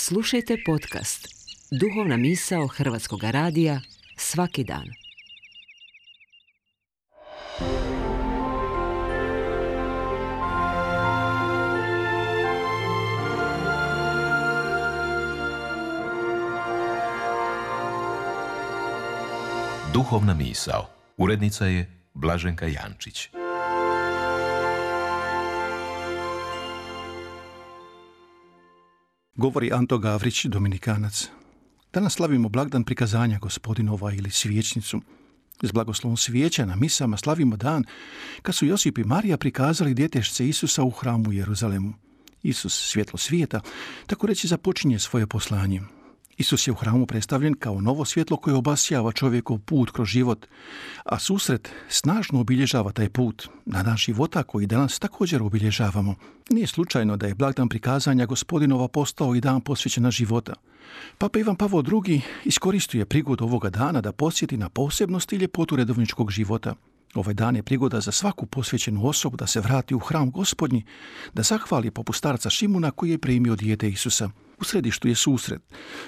Slušajte podcast Duhovna misao Hrvatskog radija svaki dan. Duhovna misao. Urednica je Blaženka Jančić. Govori Anto Gavrić, Dominikanac. Danas slavimo blagdan prikazanja Gospodinova ili svijećnicu. S blagoslovom svijeća na misama slavimo dan kad su Josip i Marija prikazali djetešce Isusa u hramu u Jeruzalemu. Isus, svjetlo svijeta, tako reći započinje svoje poslanje. Isus je u hramu predstavljen kao novo svjetlo koje obasjava čovjekov put kroz život, a susret snažno obilježava taj put na dan života koji danas također obilježavamo. Nije slučajno da je blagdan prikazanja Gospodinova postao i dan posvećena života. Papa Ivan Pavao II iskoristio je prigodu ovoga dana da podsjeti na posebnost i ljepotu redovničkog života. Ovaj dan je prigoda za svaku posvećenu osobu da se vrati u hram Gospodnji, da zahvali poput starca Šimuna koji je primio dijete Isusa. U središtu je susret.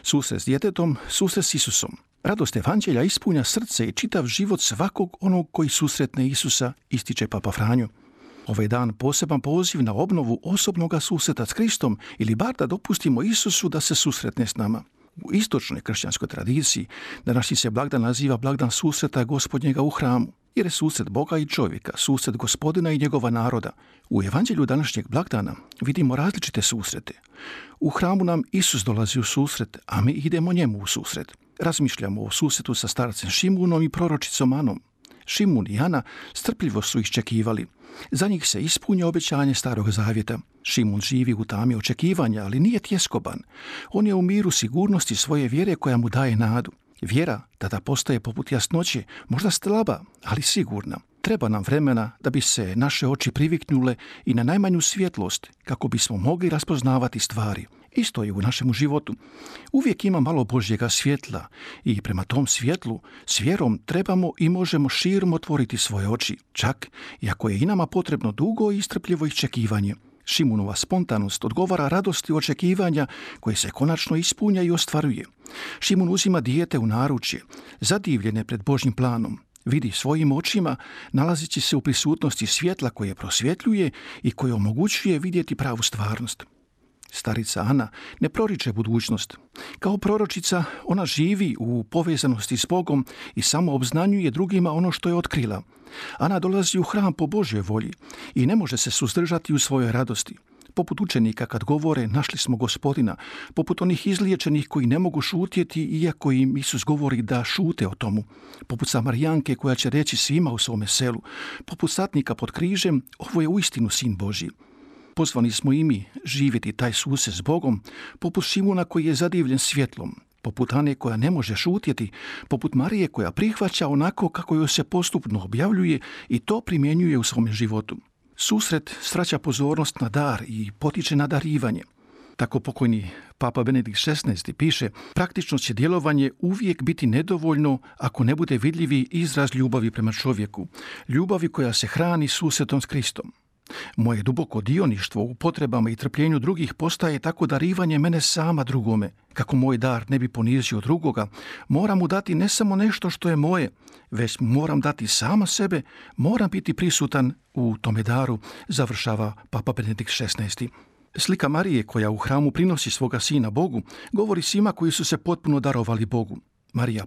Susret s djetetom, susret s Isusom. Radost evanđelja ispunja srce i čitav život svakog onog koji susretne Isusa, ističe Papa Franjo. Ovaj dan poseban poziv na obnovu osobnoga susreta s Kristom ili bar da dopustimo Isusu da se susretne s nama. U istočnoj kršćanskoj tradiciji današnji se blagdan naziva blagdan susreta Gospodnjega u hramu, jer je susret Boga i čovjeka, susret Gospodina i njegova naroda. U evanđelju današnjeg blagdana vidimo različite susrete. U hramu nam Isus dolazi u susret, a mi idemo njemu u susret. Razmišljamo o susretu sa starcem Šimunom i proročicom Anom. Šimun i Ana strpljivo su iščekivali. Za njih se ispunja obećanje Starog Zavjeta. Šimun živi u tami očekivanja, ali nije tjeskoban. On je u miru sigurnosti svoje vjere koja mu daje nadu. Vjera tada postaje poput jasnoće, možda slaba, ali sigurna. Treba nam vremena da bi se naše oči priviknule i na najmanju svjetlost kako bismo mogli raspoznavati stvari. Isto je u našemu životu. Uvijek ima malo Božjega svjetla i prema tom svjetlu s vjerom trebamo i možemo širom otvoriti svoje oči, čak i ako je i nama potrebno dugo i strpljivo iščekivanje. Šimunova spontanost odgovara radosti očekivanja koje se konačno ispunja i ostvaruje. Šimun uzima dijete u naručje, zadivljene pred Božjim planom. Vidi svojim očima, nalazeći se u prisutnosti svjetla koje prosvjetljuje i koje omogućuje vidjeti pravu stvarnost. Starica Ana ne proriče budućnost. Kao proročica ona živi u povezanosti s Bogom i samo obznanjuje drugima ono što je otkrila. Ana dolazi u hram po Božjoj volji i ne može se suzdržati u svojoj radosti. Poput učenika kad govore našli smo Gospodina, poput onih izliječenih koji ne mogu šutjeti iako im Isus govori da šute o tomu, poput Samarijanke koja će reći svima u svome selu, poput satnika pod križem, ovo je uistinu Sin Božji. Pozvani smo i mi živjeti taj susret s Bogom, poput Šimuna koji je zadivljen svjetlom, poput Ane koja ne može šutjeti, poput Marije koja prihvaća onako kako joj se postupno objavljuje i to primjenjuje u svome životu. Susret svraća pozornost na dar i potiče na darivanje. Tako pokojni Papa Benedikt XVI piše, praktično će djelovanje uvijek biti nedovoljno ako ne bude vidljivi izraz ljubavi prema čovjeku, ljubavi koja se hrani susretom s Kristom. Moje duboko dioništvo u potrebama i trpljenju drugih postaje tako darivanje mene sama drugome. Kako moj dar ne bi ponizio drugoga, moram mu dati ne samo nešto što je moje, već moram dati sama sebe, moram biti prisutan u tome daru, završava Papa Benedikt XVI. Slika Marije koja u hramu prinosi svoga sina Bogu, govori svima koji su se potpuno darovali Bogu. Marija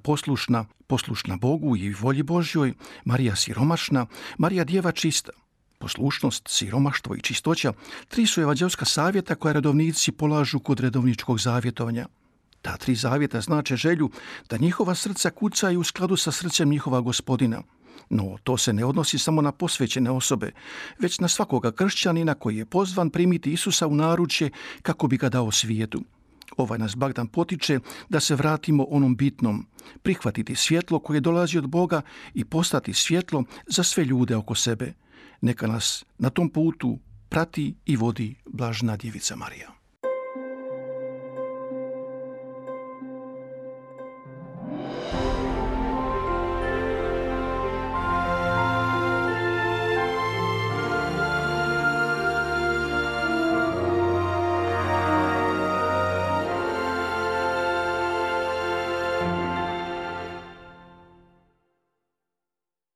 poslušna Bogu i volji Božjoj, Marija siromašna, Marija djeva čista. Poslušnost, siromaštvo i čistoća, tri su evanđelska savjeta koja redovnici polažu kod redovničkog zavjetovanja. Ta tri zavjeta znače želju da njihova srca kucaju u skladu sa srcem njihova Gospodina. No, to se ne odnosi samo na posvećene osobe, već na svakoga kršćanina koji je pozvan primiti Isusa u naručje kako bi ga dao svijetu. Ovaj nas blagdan potiče da se vratimo onom bitnom, prihvatiti svjetlo koje dolazi od Boga i postati svjetlo za sve ljude oko sebe. Neka nas na tom putu prati i vodi blažena djevica Marija.